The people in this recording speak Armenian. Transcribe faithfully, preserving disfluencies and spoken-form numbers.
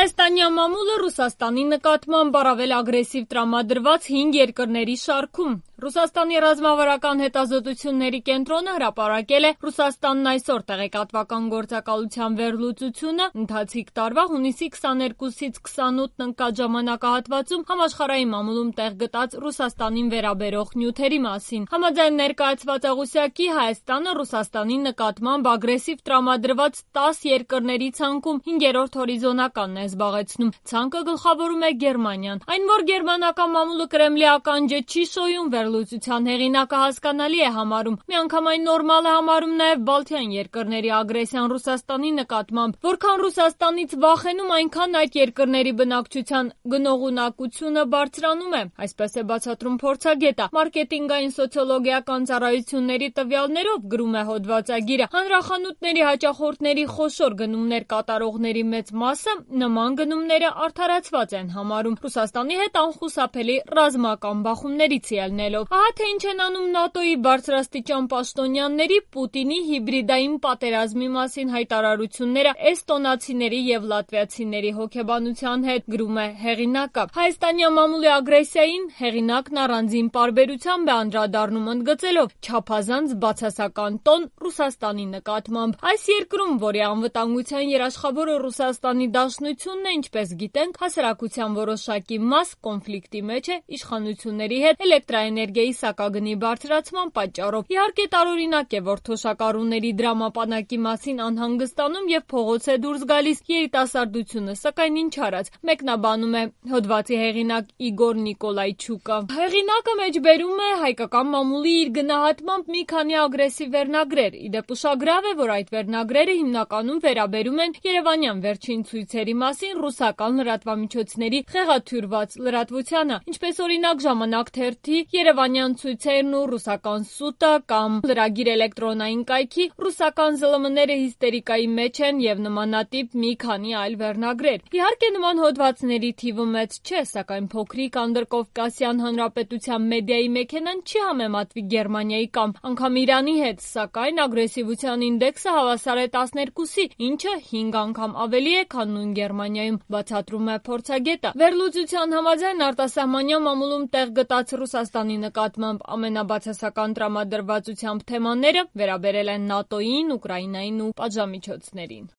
Հայաստանյան մամուլը Ռուսաստանի նկատմամբ առավել ագրեսիվ տրամադրված հինգ երկրների շարքում։ Ռուսաստանի ռազմավարական հետազոտությունների կենտրոնը հրապարակել է Ռուսաստանն այսօր տեղեկատվական գործակալության վերլուծությունը ընթացիկ տարվա հունիսի քսաներկուսից քսանութն ընկած ժամանակահատվածում համաշխարհային մամուլում տեղ գտած Ռուսաստանին վերաբերող նյութերի մասին։ Համաձայն ներկայացված աղյուսակի Հայաստանը Ռուսաստանի նկատմամբ ագրեսիվ տրամադրված տաս երկրների ցանկում հինգերորդ հորիզոնականն է զբաղեցնում։ Ցանկը գլխավորում է Գերմանիան։ Այն, որ գերմանական մամուլը կրեմլի ականջը չի շոյում, վերլուծության հեղինակը հասկանալի է համարում։ Միանգամայն նորմալ է համարում նաև Բալթյան երկրների ագրեսիան Ռուսաստանի նկատմամբ։ Որքան Ռուսաստանից վախենում, այնքան այդ երկրների բնակչության գնողունակությունը բարձրանում է։ Այսպես է բացատրում փորձագետը։ Մարքեթինգային սոցիոլոգիական ծառայությունների տվյալներով, գրում է հոդվածագիրը, հանրախանութների հաճախորդների խոշոր գնումներ կատարողների մեծ մասը նման գնումները արդարացված են համարում, Ռուսաստանի հետ անխուսափելի ռազմական բախումներից ելնելով։ Ահա թե ինչ են անում ՆԱՏՕ-ի բարձրաստիճան պաշտոնյաների Պուտինի հիբրիդային պատերազմի մասին հայտարարությունները էստոնացիների եւ լատվիացիների հոգեբանության հետ, գրում է հեղինակը։ Հայաստանյան մամուլի ագրեսիային հեղինակն առանձին պարբերությամբ է անդրադառնում, ընդգծելով չափազանց բացասական տոն Ռուսաստանի նկատմամբ։ Այս երկրում, որի անվտանգության երաշխավորը Ռուսաստանի Դաշնությունն է, ինչպես գիտենք, հասարակության որոշակի մաս կոնֆլիկտի մեջ է իշխանությունների հետ էլեկտրաէներգիայի սակագնի բարձրացման պատճառով։ Իհարկե տարօրինակ է, որ թոշակառուների դրամապանակի մասին անհանգստանում եւ փողոց է դուրս գալիս երիտասարդությունը, սակայն ինչ արած, մեկնաբանում է հոդվածի հեղինակ Իգոր Նիկոլայչուկը։ Հեղինակը մեջբերում է հայկական մամուլի իր գնահատմամբ մի քանի ագրեսիվ վերնագրեր։ Իդեպ ուշագրավ է, որ այդ վերնագրերը հիմնականում վերաբերում են երևանյան վերջին ցույցերի մասին ռուսական լրատվամիջոցների խեղաթյուրված լրատվությանը, ինչպես օրինակ Ժամանակ թերթի երևանյան ցույցերն ու ռուսական սուտը կամ լրագիր էլեկտրոնային կայքի ռուսական ԶԼՄ-ները հիստերիկայի մեջ են եւ նմանատիպ մի քանի այլ վերնագրեր։ Իհարկե նման հոդվածների թիվը մեծ չէ, սակայն փոքրիկ Անդրկովկասյան հանրապետության մեդիայի մեքենան չի համեմատվի Գերմանիայի կամ անգամ Իրանի հետ, սակայն ագրեսիվության ինդեքսը հավասար է տասներկուսի, ինչը հինգ անգամ ավելի է, քան նույն Գերմանիայում, բացատրում է փորձագետը։ Վերլուծության համաձայն արտասահմանյան մամուլում տեղ գտած Ռուսաստանի նկատմամբ ամենաբացասական տրամադրվածությամբ թեմաները վերաբերել են ՆԱՏՕ-ին, Ուկրաինային ու պատժամիջոցներին։